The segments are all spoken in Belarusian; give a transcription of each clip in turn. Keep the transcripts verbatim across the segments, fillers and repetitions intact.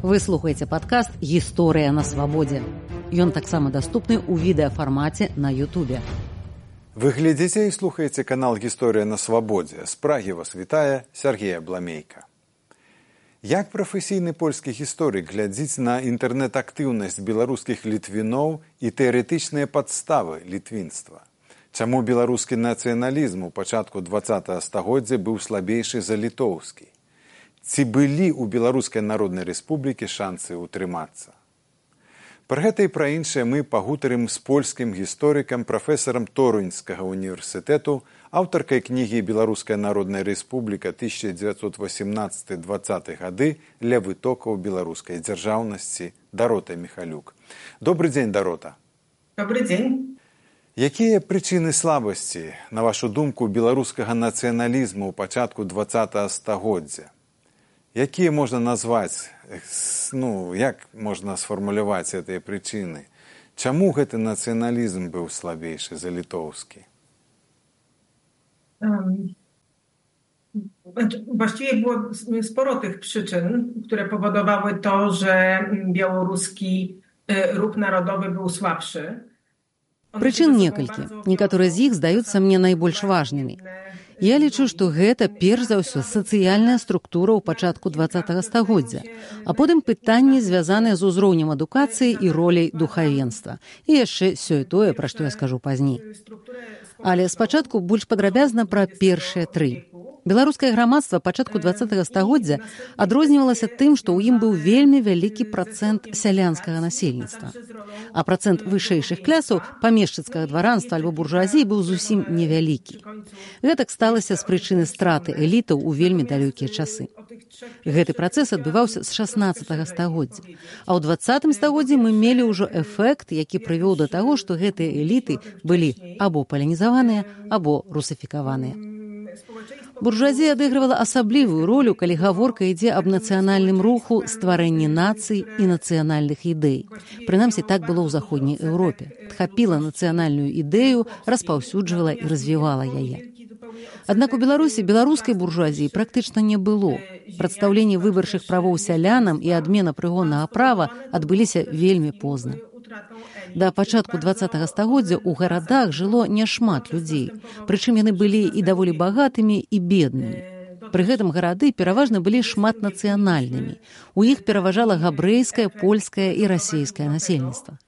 Вы слухаеце падкаст «Гісторыя на свабодзе». Ён таксама даступны ў відэафармаце на Ютубе. Вы глядзіце і слухаеце канал «Гісторыя на свабодзе». З Прагі вас вітае Сергей Абламейка. Як прафесійны польскі гісторык глядзіць на інтэрнэт-актыўнасць беларускіх літвіноў і тэарэтычныя падставы літвінства? Чаму беларускі нацыяналізм у пачатку дваццатага стагоддзя быў слабейшы за літоўскі? Ці былі ў Беларускай Народнай Рэспублікі шансы ўтрымацца? Пра гэта і пра іншае мы пагутарым з польскім гісторыкам, прафесарам Торуņскага універсітэту, аўтаркай кнігі «Беларуская Народная Рэспубліка тысяча дзевяцьсот васемнаццаты - дваццаты гады для вытокаў беларускай дзяржаўнасці» Дарота Міхалюк. Добры дзень, Дарота. Добры дзень. Якія прычыны слабасці, на вашу думку, беларускага нацыяналізму ў пачатку дваццатага стагоддзя? Якія можна назваць, ну, як можна сфармуляваць гэтыя прычыны? Чаму гэты нацыяналізм быў слабейшы за літоўскі? Um, właściwie było sporo tych przyczyn, które powodowały to, że białoruski ruch narodowy był słabszy. Прычын некалькі. Некаторыя з іх здаюцца мне найбольш важнымі. Я лічу, што гэта, перш за ўсё, сацыяльная структура ў пачатку дваццатага стагоддзя, а потым пытанні, звязаныя з узроўнем адукацыі і роляй духавенства. І яшчэ сёе-тое, пра што я скажу пазней. Але спачатку больш падрабязна пра першыя тры. Беларускае грамадства пачатку дваццатага стагоддзя адрознівалася тым, што ў ім быў вельмі вялікі працэнт сялянскага насельніцтва. А працэнт вышэйшых клясаў памешчыцкага дваранства альбо буржуазіі быў зусім невялікі. Гэтак сталася з прычыны страты элітаў у вельмі далёкія часы. Гэты працэс адбываўся з шаснаццатага стагоддзя. А ў дваццатым стагоддзі мы мелі ўжо эфект, які прывёў да таго, што гэтыя эліты былі або палянізаваныя, або русафікаваныя. Буржуазія адыгрывала асаблівую ролю, калі гаворка ідзе аб нацыянальным руху, стварэнні нацый і нацыянальных ідэй. Прынамсі, так было ў заходняй Еўропе. Тхапіла нацыянальную ідэю, распаўсюджвала і развівала яе. Аднак у Беларусі беларускай буржуазіі практычна не было. Прадстаўленне выбарчых правоў сялянам і адмена прыгоннага права адбыліся вельмі позна. Да пачатку дваццатага стагоддзя ў гарадах жыло няшмат людзей, прычым яны былі і даволі багатымі, і беднымі. Пры гэтым гарады пераважна былі шматнацыянальнымі. У іх пераважала габрэйскае, польскае і расейскае насельніцтва.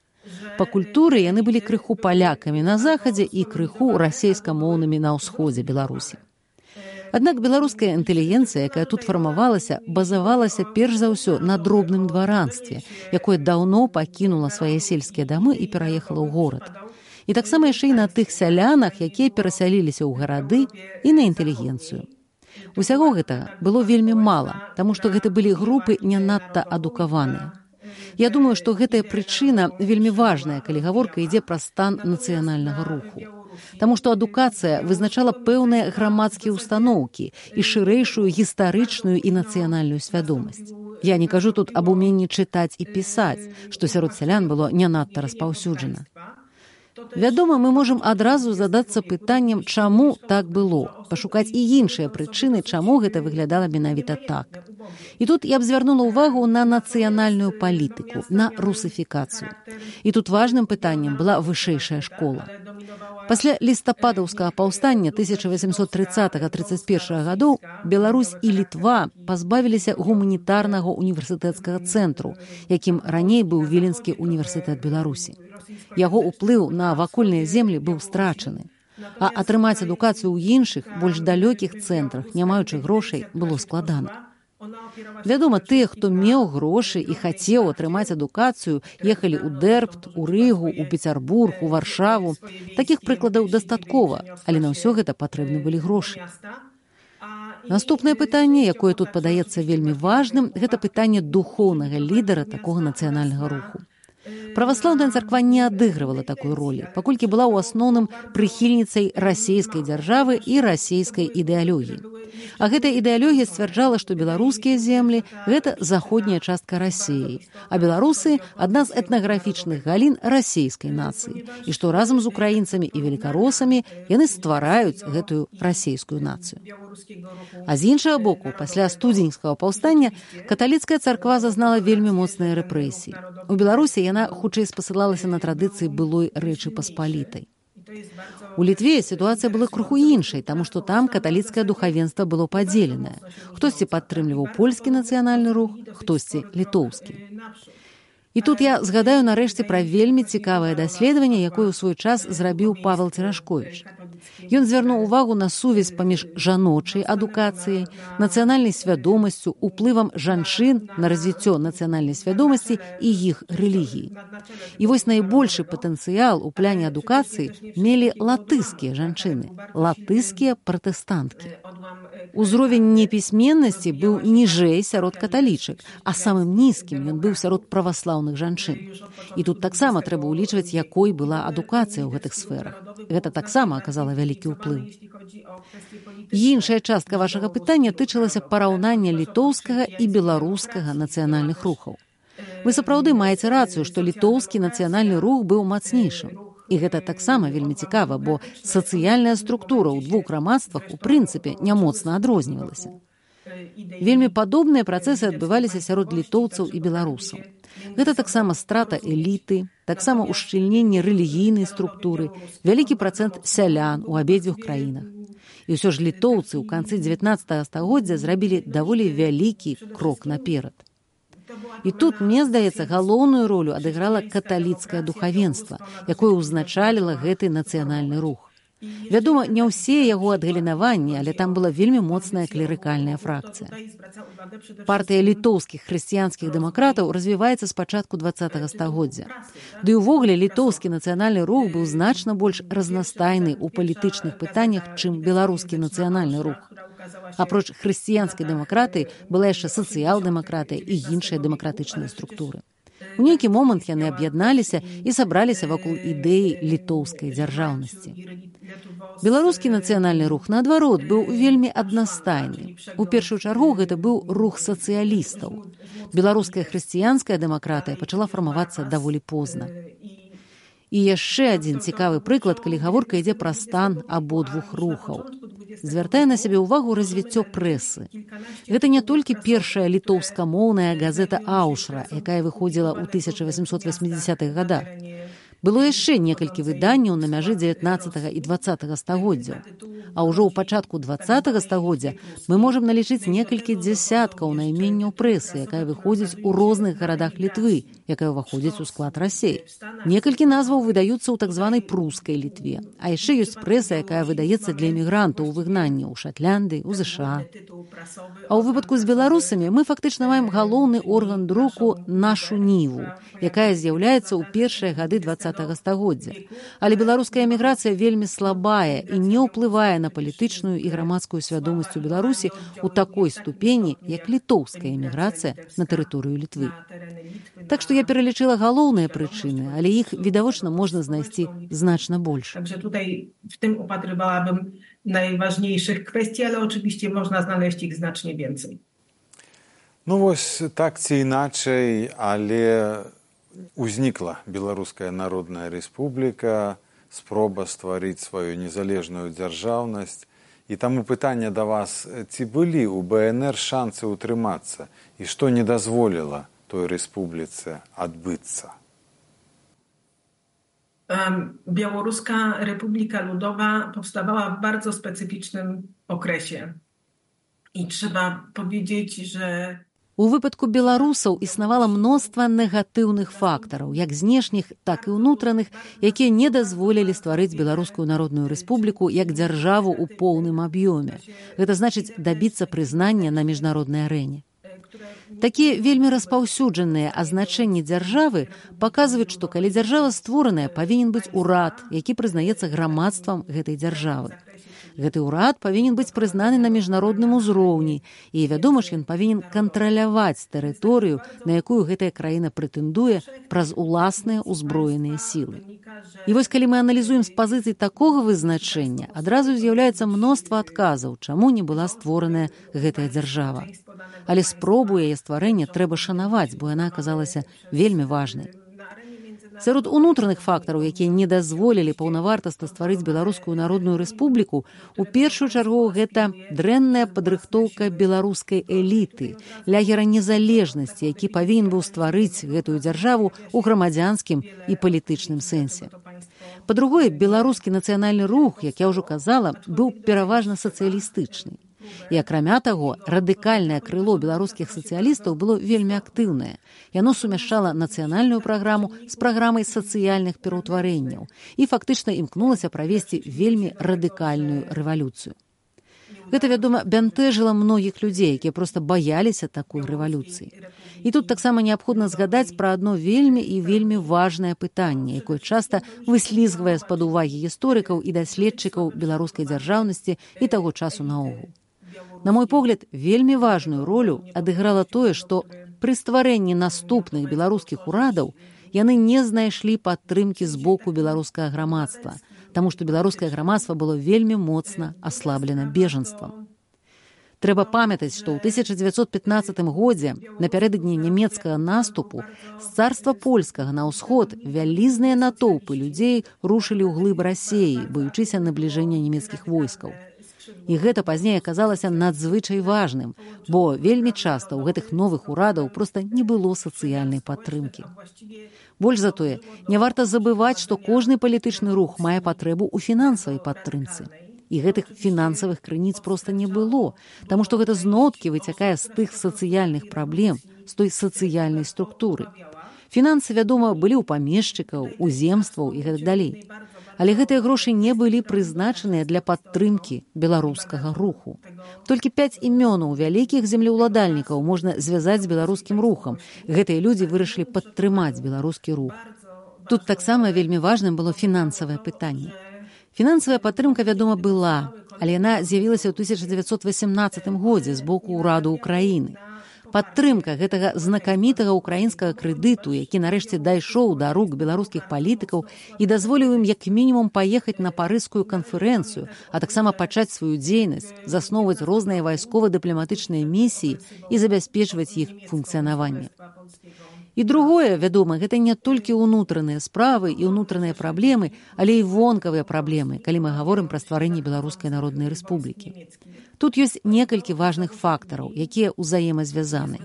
Па культуры яны былі крыху палякамі на захадзе і крыху расейскамоўнымі на ўсходзе Беларусі. Аднак беларуская інтэлігенцыя, якая тут фармавалася, базавалася перш за ўсё на дробным дваранстве, якое даўно пакінула свае сельскія дамы і пераехала ў горад. І таксама яшчэ і на тых сялянах, якія перасяліліся ў гарады, і на інтэлігенцыю. Усяго гэтага было вельмі мала, таму што гэта былі групы не надта адукаваныя. Я думаю, што гэтая прычына вельмі важная, калі гаворка ідзе пра стан нацыянальнага руху. Таму што адукацыя вызначала пэўныя грамадскія ўстаноўкі і шырэйшую гістарычную і нацыянальную свядомасць. Я не кажу тут аб уменні чытаць і пісаць, што сярод сялян было не надта распаўсюджана. Вядома, мы можам адразу задацца пытаннем, чаму так было, пашукаць і іншыя прычыны, чаму гэта выглядала менавіта так. І тут я б звярнула ўвагу на нацыянальную палітыку, на русафікацыю. І тут важным пытаннем была вышэйшая школа. Пасля лістападаўскага паўстання тысяча васемсот трыццатага - трыццаць першага гадоў Беларусь і Літва пазбавіліся гуманітарнага універсітэцкага цэнтру, якім раней быў Віленскі універсітэт Беларусі. Яго ўплыў на вакольныя землі быў страчаны. А атрымаць адукацыю ў іншых, больш далёкіх цэнтрах, не маючы грошай, было складана. Вядома, тыя, хто меў грошы і хацеў атрымаць адукацыю, ехалі ў Дэрбт, у Рыгу, у Пецярбург, у Варшаву. Такіх прыкладаў дастаткова, але на ўсё гэта патрэбны былі грошы. Наступнае пытанне, якое тут падаецца вельмі важным, гэта пытанне духоўнага лідара такога нацыянальнага руху. Праваслаўная царква не адыгрывала такой ролі, паколькі была ў асноўным прыхільніцай расійскай дзяржавы і расійскай ідэалогіі. А гэтая ідэалогія сцвярджала, што беларускія землі – гэта заходняя частка Расіі, а беларусы – адна з этнаграфічных галін расійскай нацыі, і што разам з украінцамі і велікаросамі яны ствараюць гэтую расійскую нацыю. А з іншага боку, пасля студзеньскага паўстання каталіцкая царква зазнала вельмі моцныя рэпрэсіі. У Беларусі яна хутчэй спасылалася на традыцыі былой Рэчы Паспалітай. У Літве сітуацыя была крыху іншай, таму што там каталіцкае духавенства было падзеленае. Хтосьці падтрымліваў польскі нацыянальны рух, хтосьці літоўскі. І тут я згадаю нарэшце пра вельмі цікавае даследаванне, якое ў свой час зрабіў Павел Церашковіч. Ён звярнуў увагу на сувязь паміж жаночай адукацыяй, нацыянальнай свядомасцю, уплывам жанчын на развіццё нацыянальнай свядомасці і іх рэлігіі. І вось найбольшы патэнцыял у пляне адукацыі мелі латыскія жанчыны, латыскія пратэстанткі. Узровень непісьменнасці быў ніжэй сярод каталічак, а самым нізкім ён быў сярод праваслаўных жанчын. І тут таксама трэба ўлічваць, якой была адукацыя ў гэтых сферах. Гэта таксама аказала вялікі ўплыў. Іншая частка вашага пытання тычылася параўнання літоўскага і беларускага нацыянальных рухаў. Вы сапраўды маеце рацыю, што літоўскі нацыянальны рух быў мацнейшым. І гэта таксама вельмі цікава, бо сацыяльная структура ў двух грамадствах у прынцыпе не моцна адрознівалася. Вельмі падобныя працэсы адбываліся сярод літоўцаў і беларусаў. Гэта таксама страта эліты, таксама ушчыльненне рэлігійнай структуры, вялікі працэнт сялян у абедзвюх краінах. І ўсё ж літоўцы ў канцы дзевятнаццатага стагоддзя зрабілі даволі вялікі крок наперад. І тут, мне здаецца, галоўную ролю адыграла каталіцкае духавенства, якое ўзначаліла гэты нацыянальны рух. Вядома, не ўсе яго адгалінаванні, але там была вельмі моцная клерыкальная фракцыя. Партыя літоўскіх хрысціянскіх дэмакратаў развіваецца з пачатку дваццатага стагоддзя. Ды ўвогуле літоўскі нацыянальны рух быў значна больш разнастайны ў палітычных пытаннях, чым беларускі нацыянальны рух. Апроч хрысціянскай дэмакратыі была яшчэ сацыял-дэмакратыя і іншыя дэмакратычныя структуры. У нейкі момант яны аб'ядналіся і сабраліся вакол ідэі літоўскай дзяржаўнасці. Беларускі нацыянальны рух, наадварот, быў вельмі аднастайны. У першую чаргу гэта быў рух сацыялістаў. Беларуская хрысціянская дэмакратыя пачала фармавацца даволі позна. І яшчэ адзін цікавы прыклад, калі гаворка ідзе пра стан абодвух рухаў. Звяртае на сябе ўвагу развіццё прэсы. Гэта не толькі першая літоўскамоўная газета «Аушра», якая выходзіла ў тысяча васьмісот васьмідзясятых гадах. Было яшчэ некалькі выданняў на мяжы дзевятнаццатага і дваццатага стагоддзяў. А ўжо ў пачатку дваццатага стагоддзя мы можам налічыць некалькі дзясяткаў найменняў прэсы, якая выходзіць у розных гарадах Літвы, якая ўваходзіць у склад Расіі. Некалькі назваў выдаюцца ў так званай прускай Літве. А яшчэ ёсць прэса, якая выдаецца для эмігрантаў у выгнанні ў Шатлянды, у ЗША. А ў выпадку з беларусамі мы фактычна маем галоўны орган друку «Нашу Ніву», якая з'яўляецца ў першыя гады дваццатага стагоддзя. Але беларуская эміграцыя вельмі слабая і не ўплывае на палітычную і грамадскую свядомасць у Беларусі ў такой ступені, як літоўская эміграцыя на тэрыторыю Літвы. Так што я пералічыла галоўныя прычыны, але іх, відавочна, можна знайсці значна больш. Także tutaj w tym upatrywałabym najważniejszych kwestii, ale oczywiście można znaleźć ich znacznie więcej. Ну вось так ці іначай, але узнікла Беларуская Народная Рэспубліка, спроба стварыць сваю незалежную дзяржаўнасць. І таму пытанне да вас, ці былі ў БНР шансы ўтрымацца і што не дазволіла той рэспубліцы адбыцца? Białoruska Republika Ludowa powstawała w bardzo specyficznym okresie. I trzeba powiedzieć, że У выпадку беларусаў існавала мноства негатыўных фактараў, як знешніх, так і ўнутраных, якія не дазволілі стварыць Беларускую Народную Рэспубліку як дзяржаву ў поўным аб'ёме. Гэта значыць дабіцца прызнання на міжнароднай арэне. Такія вельмі распаўсюджаныя азначэнні дзяржавы паказваюць, што калі дзяржава створаная, павінен быць урад, які прызнаецца грамадствам гэтай дзяржавы. Гэты ўрад павінен быць прызнаны на міжнародным узроўні, і, вядома ж, ён павінен кантраляваць тэрыторыю, на якую гэтая краіна прэтэндуе праз уласныя ўзброеныя сілы. І вось калі мы аналізуем з пазіцый такога вызначэння, адразу з'яўляецца мноства адказаў, чаму не была створаная гэтая дзяржава. Але спробу яе стварэння трэба шанаваць, бо яна аказалася вельмі важнай. Сярод унутраных фактараў, якія не дазволілі паўнавартасна стварыць Беларускую народную рэспубліку, у першую чаргу гэта дрэнная падрыхтоўка беларускай эліты, лягера незалежнасці, які павінен быў стварыць гэтую дзяржаву ў грамадзянскім і палітычным сэнсе. Па-другое, беларускі нацыянальны рух, як я ўжо казала, быў пераважна сацыялістычны. І, акрамя таго, радыкальнае крыло беларускіх сацыялістаў было вельмі актыўнае. Яно сумяшчала нацыянальную праграму з праграмай сацыяльных пераўтварэнняў і фактычна імкнулася правесці вельмі радыкальную рэвалюцыю. Гэта, вядома, бянтэжыла многіх людзей, якія проста баяліся такой рэвалюцыі. І тут таксама неабходна згадаць пра адно вельмі і вельмі важнае пытанне, якое часта выслізгвае з-пад увагі гісторыкаў і даследчыкаў беларускай дзяржаўнасці і таго часу наогул. На мой погляд, вельмі важную ролю адыграла тое, што пры стварэнні наступных беларускіх урадаў яны не знайшлі падтрымкі з боку беларускага грамадства, таму што беларускае грамадства было вельмі моцна аслаблена бежанствам. Трэба памятаць, што ў тысяча дзевяцьсот пятнаццатым годзе, напярэдадні нямецкага наступу, з царства польскага на ўсход вялізныя натоўпы людзей рушылі ў глыб Расеі, баючыся набліжэння нямецкіх войскаў. І гэта пазней аказалася надзвычай важным, бо вельмі часта ў гэтых новых урадаў проста не было сацыяльнай падтрымкі. Больш за тое, не варта забываць, што кожны палітычны рух мае патрэбу ў фінансавай падтрымцы. І гэтых фінансавых крыніц проста не было, таму што гэта зноткі выцякае з тых сацыяльных праблем, з той сацыяльнай структуры. Фінансы, вядома, былі ў памешчыкаў, у земстваў і гэтак далей. Але гэтыя грошы не былі прызначаныя для падтрымкі беларускага руху. Толькі пяць імёнаў вялікіх землеўладальнікаў можна звязаць з беларускім рухам. Гэтыя людзі вырашылі падтрымаць беларускі рух. Тут таксама вельмі важным было фінансавае пытанне. Фінансавая падтрымка, вядома, была, але яна з'явілася ў тысяча дзевяцьсот васямнаццатым годзе з боку ўраду ўкраіны. Падтрымка гэтага знакамітага ўкраінскага крэдыту, які нарэшце дайшоў да рук беларускіх палітыкаў і дазволіў ім як мінімум паехаць на парыжскую канферэнцыю, а таксама пачаць сваю дзейнасць, засноўваць розныя вайскова-дыпламатычныя місіі і забяспечваць іх функцыянаванне. І другое, вядома, гэта не толькі ўнутраныя справы і ўнутраныя праблемы, але і вонкавыя праблемы, калі мы гаворым пра стварэнне Беларускай народнай рэспублікі. Тут ёсць некалькі важных фактараў, якія ўзаемазвязаны.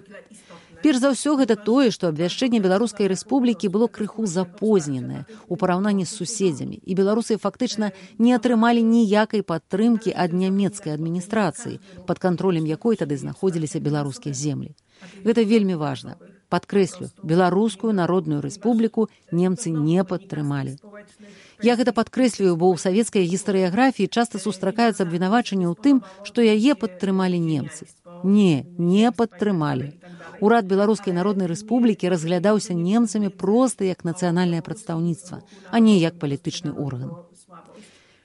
Перш за ўсё, гэта тое, што абвяшчэнне Беларускай рэспублікі было крыху запозненае ў параўнанні з суседзямі, і беларусы фактычна не атрымалі ніякай падтрымкі ад нямецкай адміністрацыі, пад кантролем якой тады знаходзіліся беларускія землі. Гэта вельмі важна. Падкрэслю, Беларускую народную рэспубліку немцы не падтрымалі. Я гэта падкрэслюю, бо ў савецкай гістарыяграфіі часта сустракаюцца абвінавачанні ў тым, што яе падтрымалі немцы. Не, не падтрымалі. Урад Беларускай народнай рэспублікі разглядаўся немцамі проста як нацыянальнае прадстаўніцтва, а не як палітычны орган.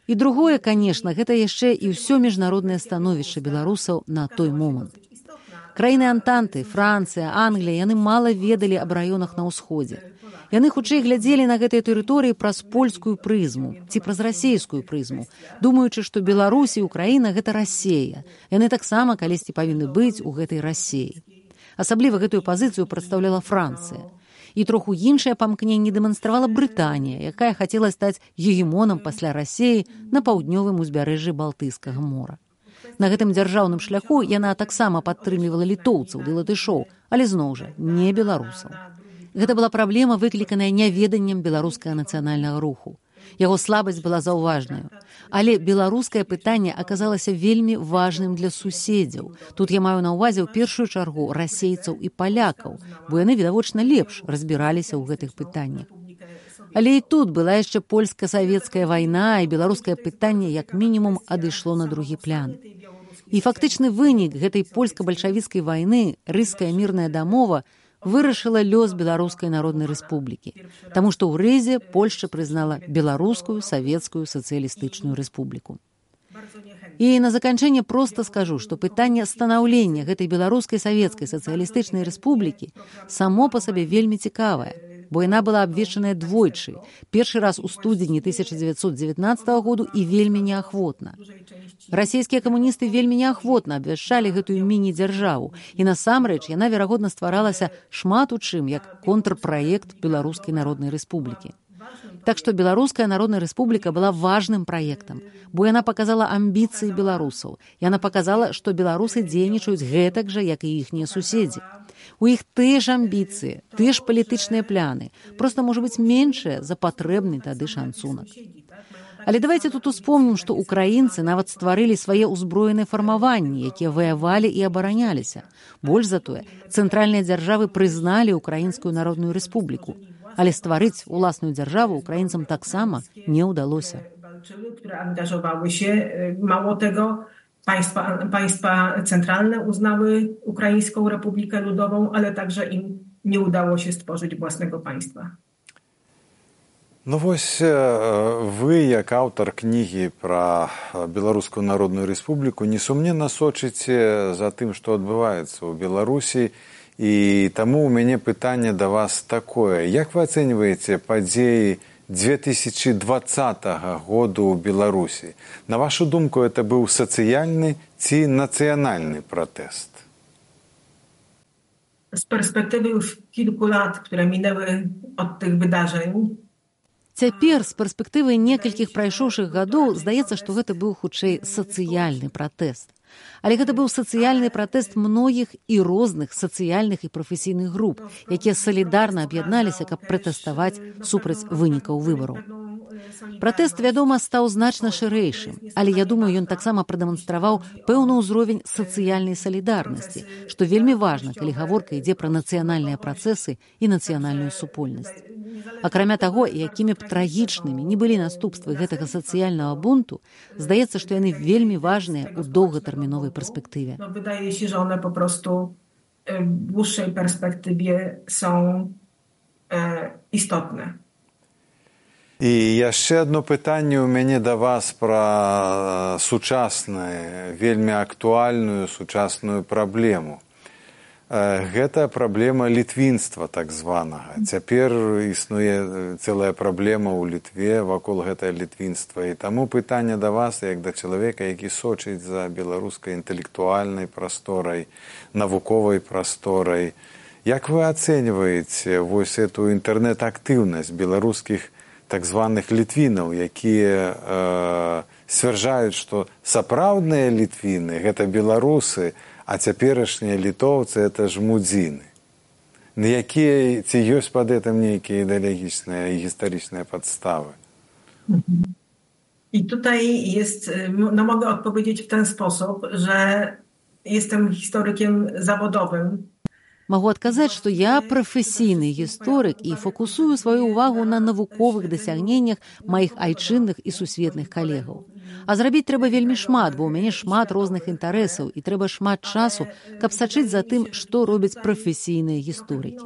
І другое, канешне, гэта яшчэ і ўсё міжнароднае становішча беларусаў на той момант. Краіны Антанты, Францыя, Англія, яны мала ведалі аб раёнах на ўсходзе. Яны хутчэй глядзелі на гэтыя тэрыторыі праз польскую прызму ці праз расейскую прызму, думаючы, што Беларусь і Украіна – гэта Расея. Яны таксама калісьці павінны быць у гэтай Расеі. Асабліва гэтую пазіцыю прадстаўляла Францыя. І троху іншае памкненне дэманстравала Брытанія, якая хацела стаць гегемонам пасля Расеі на паўднёвым узбярэжжы Балтыйскага мора. На гэтым дзяржаўным шляху яна таксама падтрымлівала літоўцаў ды латышоў, але зноў жа не беларусаў. Гэта была праблема, выкліканая няведаннем беларускага нацыянальнага руху. Яго слабасць была заўважнаю. Але беларускае пытанне аказалася вельмі важным для суседзяў. Тут я маю на ўвазе ў першую чаргу расейцаў і палякаў, бо яны, відавочна, лепш разбіраліся ў гэтых пытаннях. Але і тут была яшчэ польска-савецкая вайна, і беларускае пытанне як мінімум адышло на другі план. І фактычны вынік гэтай польска-бальшавіцкай вайны, рыская мірная дамова, вырашыла лёс Беларускай народнай рэспублікі, таму што ў Рызе Польшча прызнала Беларускую савецкую сацыялістычную рэспубліку. І на заканчэнне проста скажу, што пытанне станаўлення гэтай беларускай савецкай сацыялістычнай рэспублікі само па сабе вельмі цікавае, бо яна была абвешчаная двойчы. Першы раз у студзені тысяча дзевяцьсот дзевятнаццатага году і вельмі неахвотна. Расійскія камуністы вельмі неахвотна абвяшчалі гэтую міні-дзяржаву, і насамрэч яна, верагодна, стваралася шмат у чым як контрпраект Беларускай народнай рэспублікі. Так што Беларуская народная рэспубліка была важным праектам, бо яна паказала амбіцыі беларусаў. Яна паказала, што беларусы дзейнічаюць гэтак жа, як і іхнія суседзі. У іх тыя ж амбіцыі, тыя ж палітычныя пляны, проста, можа быць, меншыя за патрэбны тады шанцунак. Але давайте тут успомнім, што украінцы нават стварылі свае ўзброеныя фармаванні, якія ваявалі і абараняліся. Больш за тое, цэнтральныя дзяржавы прызналі Украінскую народную рэспубліку. Але стварыць уласную дзяржаву украінцам таксама не ўдалося. Które angażowały się, mało tego, państwa, państwa centralne uznały Ukraińską Republikę Ludową, ale także im nie udało się stworzyć własnego państwa. Ну вось вы, як аўтар кнігі пра Беларускую народную рэспубліку, несумненна сочыце за тым, што адбываецца ў Беларусі. І таму у мяне пытанне да вас такое. Як вы ацэньваеце падзеі две тысячи двадцатага году ў Беларусі? На вашу думку, это быў сацыяльны ці нацыянальны пратэст? Z perspektywy już kilku lat, które minęły od tych wydarzeń, Цяпер, з перспектывы некалькіх прайшоўшых гадоў, здаецца, што гэта быў хутчэй сацыяльны пратэст. Але гэта быў сацыяльны пратэст многіх і розных сацыяльных і прафесійных груп, якія салідарна аб'ядналіся, каб пратэставаць супраць вынікаў выбараў. Пратэст, вядома, стаў значна шырэйшым, але я думаю, ён таксама прадэманстраваў пэўны ўзровень сацыяльнай салідарнасці, што вельмі важна, калі гаворка ідзе пра нацыянальныя працэсы і нацыянальную супольнасць. Акрамя таго, якімі б трагічнымі не былі наступствы гэтага сацыяльнага бунту, здаецца, што яны вельмі важныя ў доўгатэрміновай перспектыве. no, wydaje się, że one po prostu w dłuższej perspektywie są e, istotne. І яшчэ одно пытанне ў мяне да вас пра сучасную, вельмі актуальную сучасную праблему. Гэта праблема літвінства так званага. Цяпер існуе цэлая праблема ў Літве вакол гэтае літвінства. І таму пытанне да вас, як да чалавека, які сочыць за беларускай інтэлектуальнай прасторай, навуковай прасторай. Як вы ацэньваеце вось эту інтэрнэт-актыўнасць беларускіх так званых літвінаў, якія э, сцвярджаюць, што сапраўдныя літвіны – гэта беларусы, а цяперашнія літоўцы – это ж мудзіны. На якія, ці ёсць пад гэтым нейкія ідэалагічныя і гістарычныя падставы? I tutaj jest, no mogę odpowiedzieć w ten sposób, że jestem historykiem zawodowym. Магу адказаць, што я прафесійны гісторык і фокусую сваю ўвагу на навуковых дасягненнях маіх айчынных і сусветных калегаў. А зрабіць трэба вельмі шмат, бо ў мяне шмат розных інтарэсаў і трэба шмат часу, каб сачыць за тым, што робяць прафесійныя гісторыкі.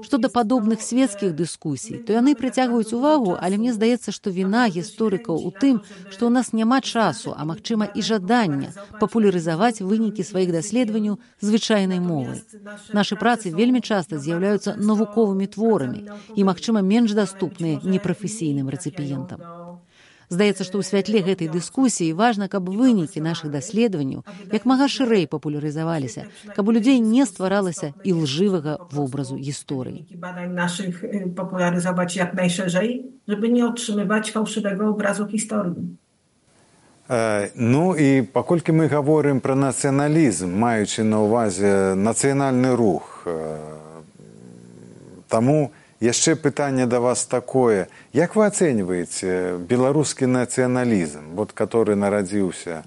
Што да падобных светскіх дыскусій, то яны прыцягваюць увагу, але мне здаецца, што віна гісторыкаў у тым, што ў нас няма часу, а магчыма і жадання папулярызаваць вынікі сваіх даследаванняў звычайнай мовай. Нашы працы вельмі часта з'яўляюцца навуковымі творамі і, магчыма, менш даступныя непрафесійным рэцыпіентам. Здаецца, што ў святле гэтай дыскусіі важна, каб вынікі нашых даследаванняў як мага шырэй папулярызаваліся, каб у людзей не стваралася ілжывага вобразу гісторыі. Badań naszych popularyzować jak najszerzej, żeby nie otrzymywać fałszywego obrazu historii. Ну і паколькі мы гаворым пра нацыяналізм, маючы на ўвазе нацыянальны рух, таму яшчэ пытанне да вас такое. Як вы ацэньваеце беларускі нацыяналізм, вот, который нарадзіўся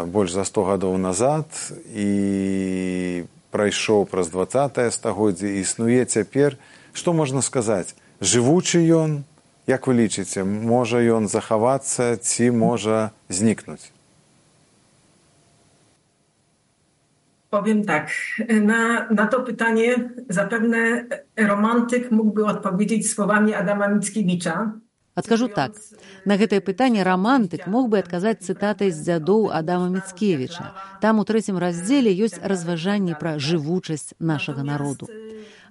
больш за сто гадоў назад і прайшоў праз дваццатае стагоддзе, існуе цяпер, што можна сказаць, жывучы ён? Як вы лічыце, можа ён захавацца ці можа знікнуць? Powiem tak, na, na to pytanie zapewne romantyk mógłby odpowiedzieć słowami Adama Mickiewicza. Адкажу так. На гэтае пытанне рамантык мог бы адказаць цытатай з дзядоў Адама Міцкевіча. Там у трэцім раздзеле ёсць разважанні пра жывучасць нашага народу.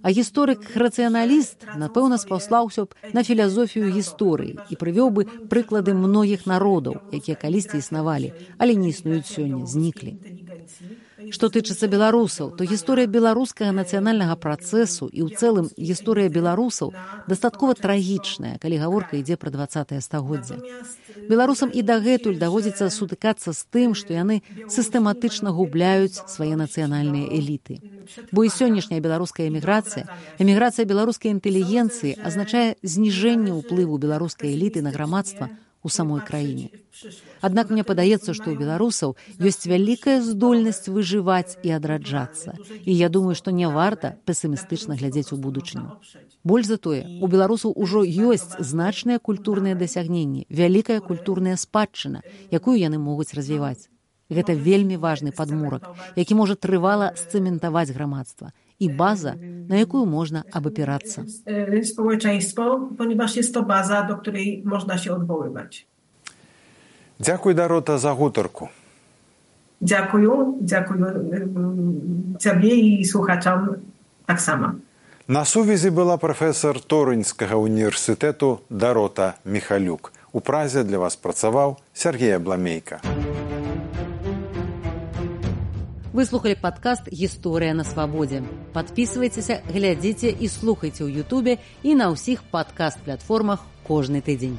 А гісторык-рацыяналіст, напэўна, спаўслаўся б на філазофію гісторыі і прывёў бы прыклады многіх народаў, якія калісьці існавалі, але не існуюць сёння, зніклі. Што тычыцца беларусаў, то гісторыя беларускага нацыянальнага працэсу і ў цэлым гісторыя беларусаў дастаткова трагічная, калі гаворка ідзе пра дваццатае стагоддзе. Беларусам і дагэтуль даводзіцца сутыкацца з тым, што яны сістэматычна губляюць свае нацыянальныя эліты. Бо і сённяшняя беларуская эміграцыя, эміграцыя беларускай інтэлігенцыі азначае зніжэнне ўплыву беларускай эліты на грамадства у самой краіне. Аднак мне падаецца, што ў беларусаў ёсць вялікая здольнасць выжываць і адраджацца. І я думаю, што не варта песімістычна глядзець у будучыню. Больш за тое, у беларусаў ужо ёсць значныя культурныя дасягненні, вялікая культурная спадчына, якую яны могуць развіваць. Гэта вельмі важны падмурак, які можа трывала сцэментаваць грамадства. I baza, na jaką można opierаться. Społeczeństwo, ponieważ jest to baza, do której można się odwoływać. Dziękuję, Dorota, za gutorku. Dziękuję, dziękuję Ciebie i słuchaczom tak samo. Na сувязі була професор Торинського університету Дорота Міхалюк. У Празі для вас працював Сергій Абламейка. Вы слухали падкаст «Гісторыя на свабодзе». Падпісвайцеся, глядзіце і слухайце ў Ютубе і на ўсіх падкаст-платформах кожны тыдзень.